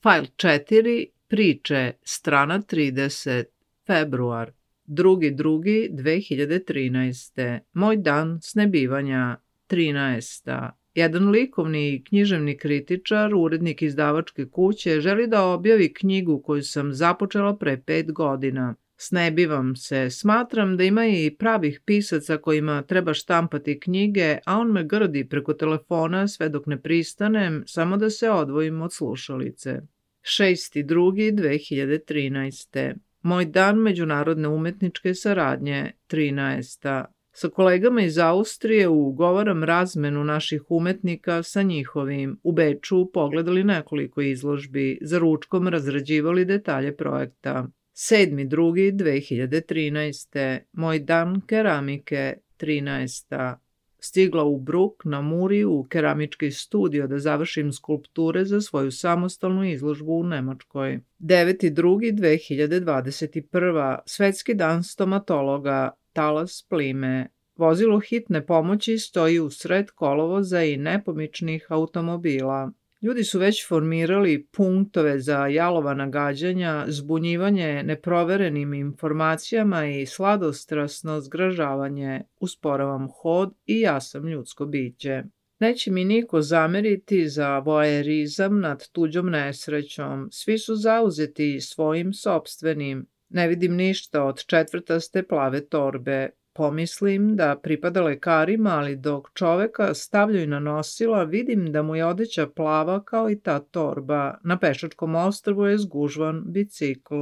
Fajl 4, priče, strana 30, februar, 2.2.2013. Moj dan snebivanja, 13. Jedan likovni i književni kritičar, urednik izdavačke kuće, želi da objavi knjigu koju sam započela pre 5 godina. Snebivam se, smatram da ima i pravih pisaca kojima treba štampati knjige, a on me grdi preko telefona sve dok ne pristanem, samo da se odvojim od slušalice. 6.2.2013. Moj dan međunarodne umetničke saradnje, 13. Sa kolegama iz Austrije ugovaram razmenu naših umetnika sa njihovim. U Beču pogledali nekoliko izložbi, za ručkom razrađivali detalje projekta. 7.2.2013. Moj dan keramike, 13. Stigla u Bruk na Muri u keramički studio da završim skulpture za svoju samostalnu izložbu u Nemačkoj. 9.2.2021. Svetski dan stomatologa, talas plime. Vozilo hitne pomoći stoji u sred kolovoza i nepomičnih automobila. Ljudi su već formirali punktove za jalovana gađanja, zbunjivanje neproverenim informacijama i sladostrasno zgražavanje. Usporavam hod i ja sam ljudsko biće. Neće mi niko zameriti za voajerizam nad tuđom nesrećom. Svi su zauzeti svojim sopstvenim. Ne vidim ništa od četvrtaste plave torbe. Pomislim da pripada lekarima, ali dok čoveka stavljaju na nosila, vidim da mu je odeća plava kao i ta torba. Na pešačkom ostrvu je zgužvan bicikl.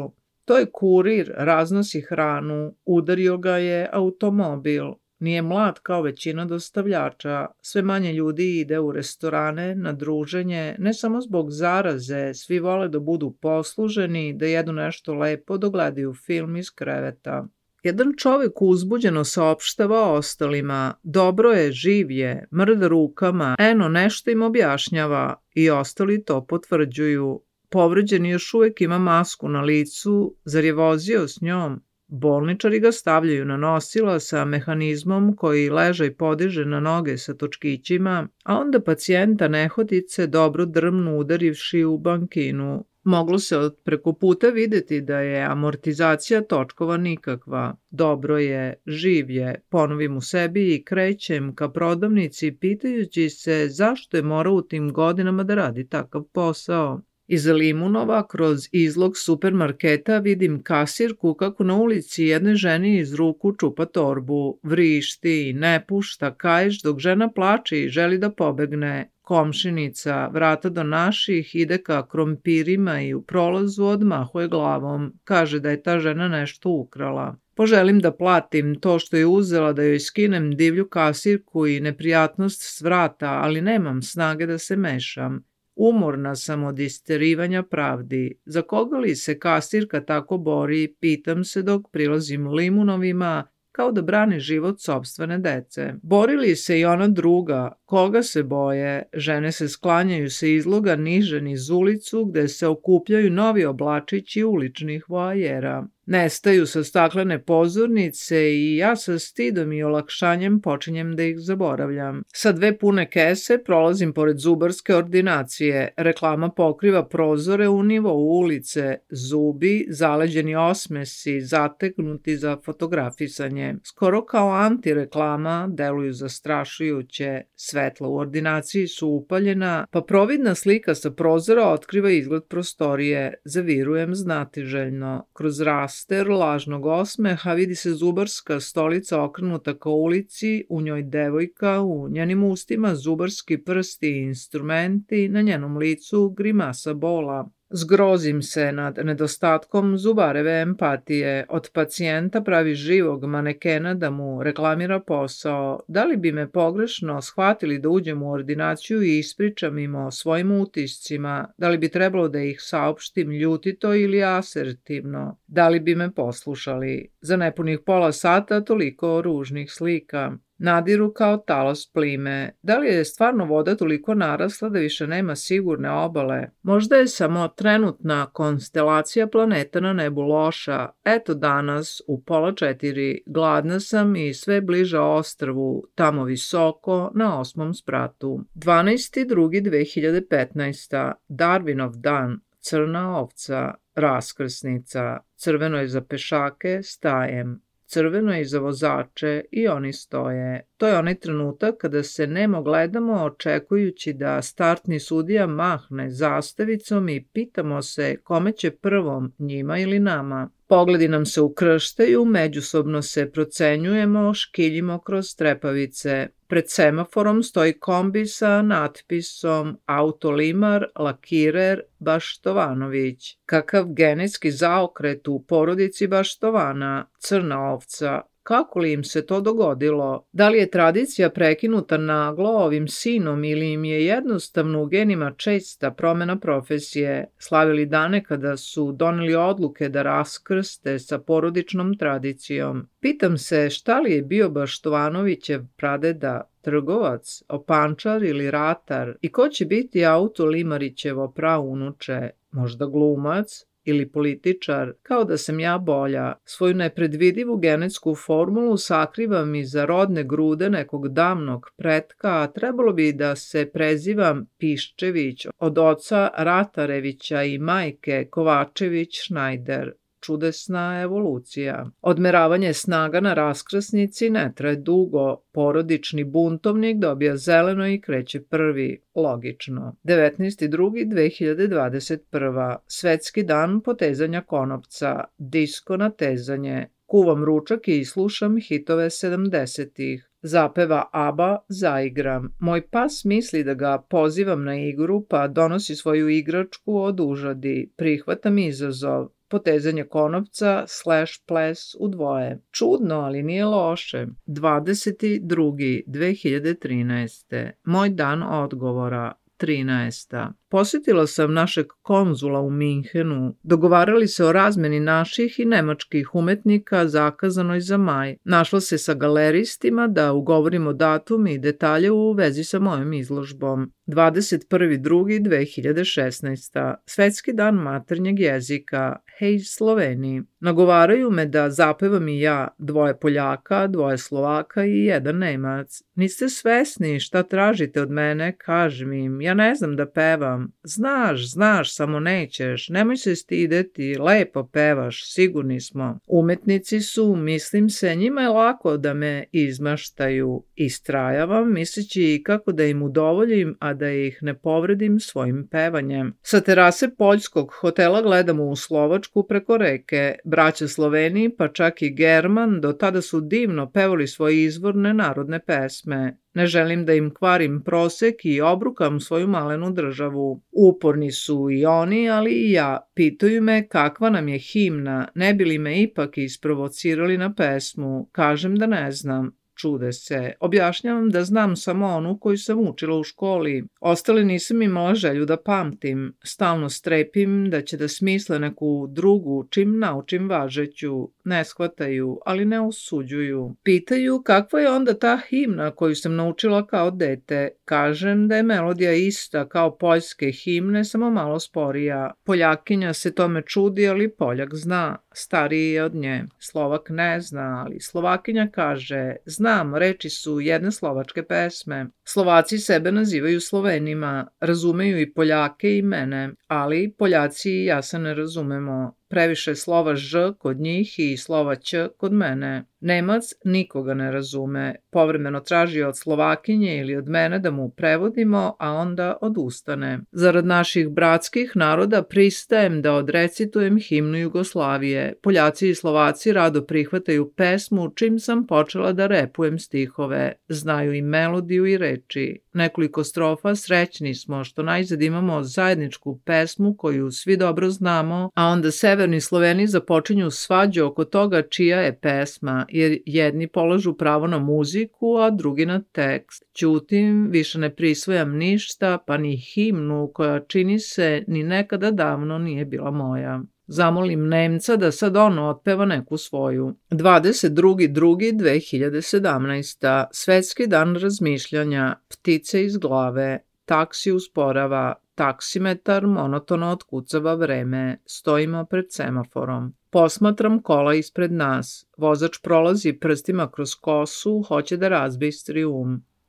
To je kurir, raznosi hranu, udario ga je automobil. Nije mlad kao većina dostavljača, sve manje ljudi ide u restorane, na druženje, ne samo zbog zaraze, svi vole da budu posluženi, da jedu nešto lepo, da gledaju film iz kreveta. Jedan čovek uzbuđeno saopštava ostalima, dobro je, živ je, mrda rukama, eno nešto im objašnjava i ostali to potvrđuju. Povređeni još uvek ima masku na licu, zar je vozio s njom? Bolničari ga stavljaju na nosila sa mehanizmom koji ležaj podiže na noge sa točkićima, a onda pacijenta nehotice dobro drmnu udarivši u bankinu. Moglo se od preko puta videti da je amortizacija točkova nikakva. Dobro je, živ je, ponovim u sebi i krećem ka prodavnici pitajući se zašto je morao u tim godinama da radi takav posao. Iza limunova, kroz izlog supermarketa, vidim kasirku kako na ulici jednoj ženi iz ruku čupa torbu, vrišti, ne pušta kaiš dok žena plače i želi da pobegne. Komšinica, vrata do naših, ide ka krompirima i u prolazu odmahuje glavom. Kaže da je ta žena nešto ukrala. Poželim da platim to što je uzela, da joj skinem divlju kasirku i neprijatnost s vrata, ali nemam snage da se mešam. Umorna sam od isterivanja pravdi. Za koga li se kasirka tako bori, pitam se dok prilazim limunovima, kao da brani život sopstvene dece. Bori li se i ona druga? Koga se boje? Žene se sklanjaju sa izloga niže niz ulicu gde se okupljaju novi oblačići uličnih voajera. Nestaju sa staklene pozornice i ja sa stidom i olakšanjem počinjem da ih zaboravljam. Sa 2 pune kese prolazim pored zubarske ordinacije. Reklama pokriva prozore u nivou ulice. Zubi, zaleđeni osmesi, zateknuti za fotografisanje. Skoro kao antireklama deluju zastrašujuće. Svetla u ordinaciji su upaljena, pa providna slika sa prozora otkriva izgled prostorije. Zavirujem znatiželjno. Kroz raster lažnog osmeha vidi se zubarska stolica okrenuta ka ulici, u njoj devojka, u njenim ustima zubarski prsti i instrumenti, na njenom licu grimasa bola. Zgrozim se nad nedostatkom zubareve empatije. Od pacijenta pravi živog manekena da mu reklamira posao. Da li bi me pogrešno shvatili da uđem u ordinaciju i ispričam im o svojim utiscima? Da li bi trebalo da ih saopštim ljutito ili asertivno? Da li bi me poslušali? Za nepunih pola sata toliko ružnih slika. Nadiru kao talas plime. Da li je stvarno voda toliko narasla da više nema sigurne obale? Možda je samo trenutna konstelacija planeta na nebu loša. Eto danas, u 3:30, gladna sam i sve bliža ostrvu, tamo visoko, na 8. spratu. 12.2.2015. Darwinov dan. crna ovca, raskrsnica, crveno je za pešake, stajem, crveno je i za vozače i oni stoje. To je onaj trenutak kada se nemo gledamo očekujući da startni sudija mahne zastavicom i pitamo se kome će prvom, njima ili nama. Pogledi nam se ukrštaju, međusobno se procenjujemo, škiljimo kroz trepavice. Pred semaforom stoji kombi sa natpisom Autolimar, lakirer, Baštovanović. Kakav genetski zaokret u porodici Baštovana, crna ovca. Kako li im se to dogodilo? Da li je tradicija prekinuta naglo ovim sinom ili im je jednostavno u genima česta promena profesije, slavili dane kada su doneli odluke da raskrste sa porodičnom tradicijom? Pitam se šta li je bio Baštovanovićev pradeda, trgovac, opančar ili ratar i ko će biti Autolimarićevo praunuče, možda glumac? Ili političar, kao da sam ja bolja. Svoju nepredvidivu genetsku formulu sakrivam iza rodne grude nekog davnog pretka, a trebalo bi da se prezivam Piščević od oca Ratarevića i majke Kovačević-Šnajder. Čudesna evolucija. Odmeravanje snaga na raskrsnici ne traje dugo. Porodični buntovnik dobija zeleno i kreće prvi. Logično. 19.2.2021. Svetski dan potezanja konopca. Disko natezanje. Kuvam ručak i slušam hitove 70-ih. Zapeva ABBA, zaigram. Moj pas misli da ga pozivam na igru, pa donosi svoju igračku od užadi. Prihvatam izazov. Potezanje konopca / ples u dvoje. Čudno, ali nije loše. 20.2.2013. Moj dan odgovora. 13. Posjetila sam našeg konzula u Minhenu. Dogovarali se o razmeni naših i nemačkih umetnika zakazanoj za maj. Našla se sa galeristima da ugovorimo datum i detalje u vezi sa mojom izložbom. 21.2.2016. Svetski dan maternjeg jezika. Hej Sloveni. Nagovaraju me da zapevam i ja, 2 Poljaka, 2 Slovaka i 1 Nemac. Niste svesni šta tražite od mene, kažem im, ja ne znam da pevam. Znaš, samo nećeš, nemoj se stideti, lepo pevaš, sigurni smo. Umetnici su, mislim se, njima je lako da me izmaštaju. Istrajavam, misleći kako da im udovoljim, a da ih ne povredim svojim pevanjem. Sa terase poljskog hotela gledamo u Slovačku preko reke. Braća Sloveni, pa čak i German, do tada su divno pevali svoje izvorne narodne pesme. Ne želim da im kvarim prosek i obrukam svoju malenu državu. Uporni su i oni, ali i ja. Pitaju me kakva nam je himna, ne bi li me ipak isprovocirali na pesmu. Kažem da ne znam. Čude se. Objašnjavam da znam samo onu koju sam učila u školi. Ostale nisam imala želju da pamtim. Stalno strepim da će da smisle neku drugu čim naučim važeću. Ne shvataju, ali ne osuđuju. Pitaju kakva je onda ta himna koju sam naučila kao dete. Kažem da je melodija ista kao poljske himne, samo malo sporija. Poljakinja se tome čudi, ali Poljak zna. Stariji je od nje. Slovak ne zna, ali Slovakinja kaže, znam, reči su jedne slovačke pesme. Slovaci sebe nazivaju Slovenima, razumeju i Poljake i mene, ali Poljaci i ja se ne razumemo. Previše slova ž kod njih i slova ć kod mene. Nemac nikoga ne razume, povremeno traži od Slovakinje ili od mene da mu prevodimo, a onda odustane. Zarad naših bratskih naroda pristajem da odrecitujem himnu Jugoslavije. Poljaci i Slovaci rado prihvataju pesmu čim sam počela da repujem stihove. Znaju i melodiju i reči. Nekoliko strofa srećni smo što najzad imamo zajedničku pesmu koju svi dobro znamo, a onda severni Sloveni započinju svađu oko toga čija je pesma, jer jedni polažu pravo na muziku, a drugi na tekst. Ćutim, više ne prisvojam ništa, pa ni himnu koja čini se ni nekada davno nije bila moja. Zamolim Nemca da sad on otpeva neku svoju. 22.2.2017. Svetski dan razmišljanja. Ptice iz glave. Taksi usporava. Taksimetar monotono otkucava vreme. Stojimo pred semaforom. Posmatram kola ispred nas. Vozač prolazi prstima kroz kosu, hoće da razbistri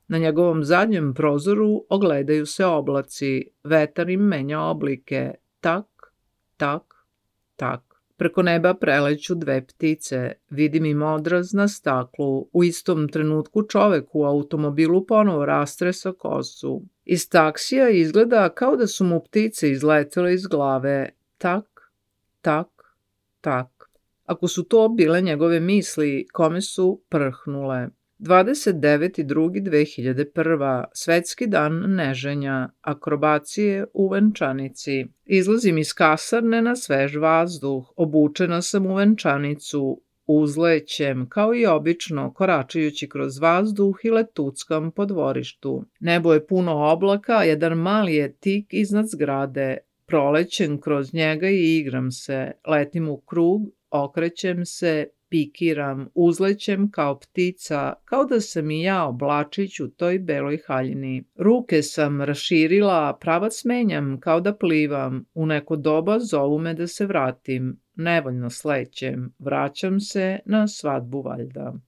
Na njegovom zadnjem prozoru ogledaju se oblaci. Vetar im menja oblike. Tak, Tak, tak. Preko neba preleću dve ptice, vidim im odraz na staklu. U istom trenutku čovek u automobilu ponovo rastresa kosu. Iz taksija izgleda kao da su mu ptice izletele iz glave. Tak, tak, tak. Ako su to bile njegove misli, kome su prhnule. 29.2.2001. Svetski dan neženja, akrobacije u venčanici. Izlazim iz kasarne na svež vazduh, obučena sam u venčanicu, uzlećem, kao i obično, koračajući kroz vazduh i letuckam po dvorištu. Nebo je puno oblaka, a jedan mali je tik iznad zgrade. Prolećem kroz njega i igram se, letim u krug, okrećem se, pikiram, uzlećem kao ptica, kao da sam i ja oblačić u toj beloj haljini. Ruke sam raširila, pravac menjam kao da plivam. U neko doba zovu me da se vratim. Nevoljno slećem, vraćam se na svadbu valjda.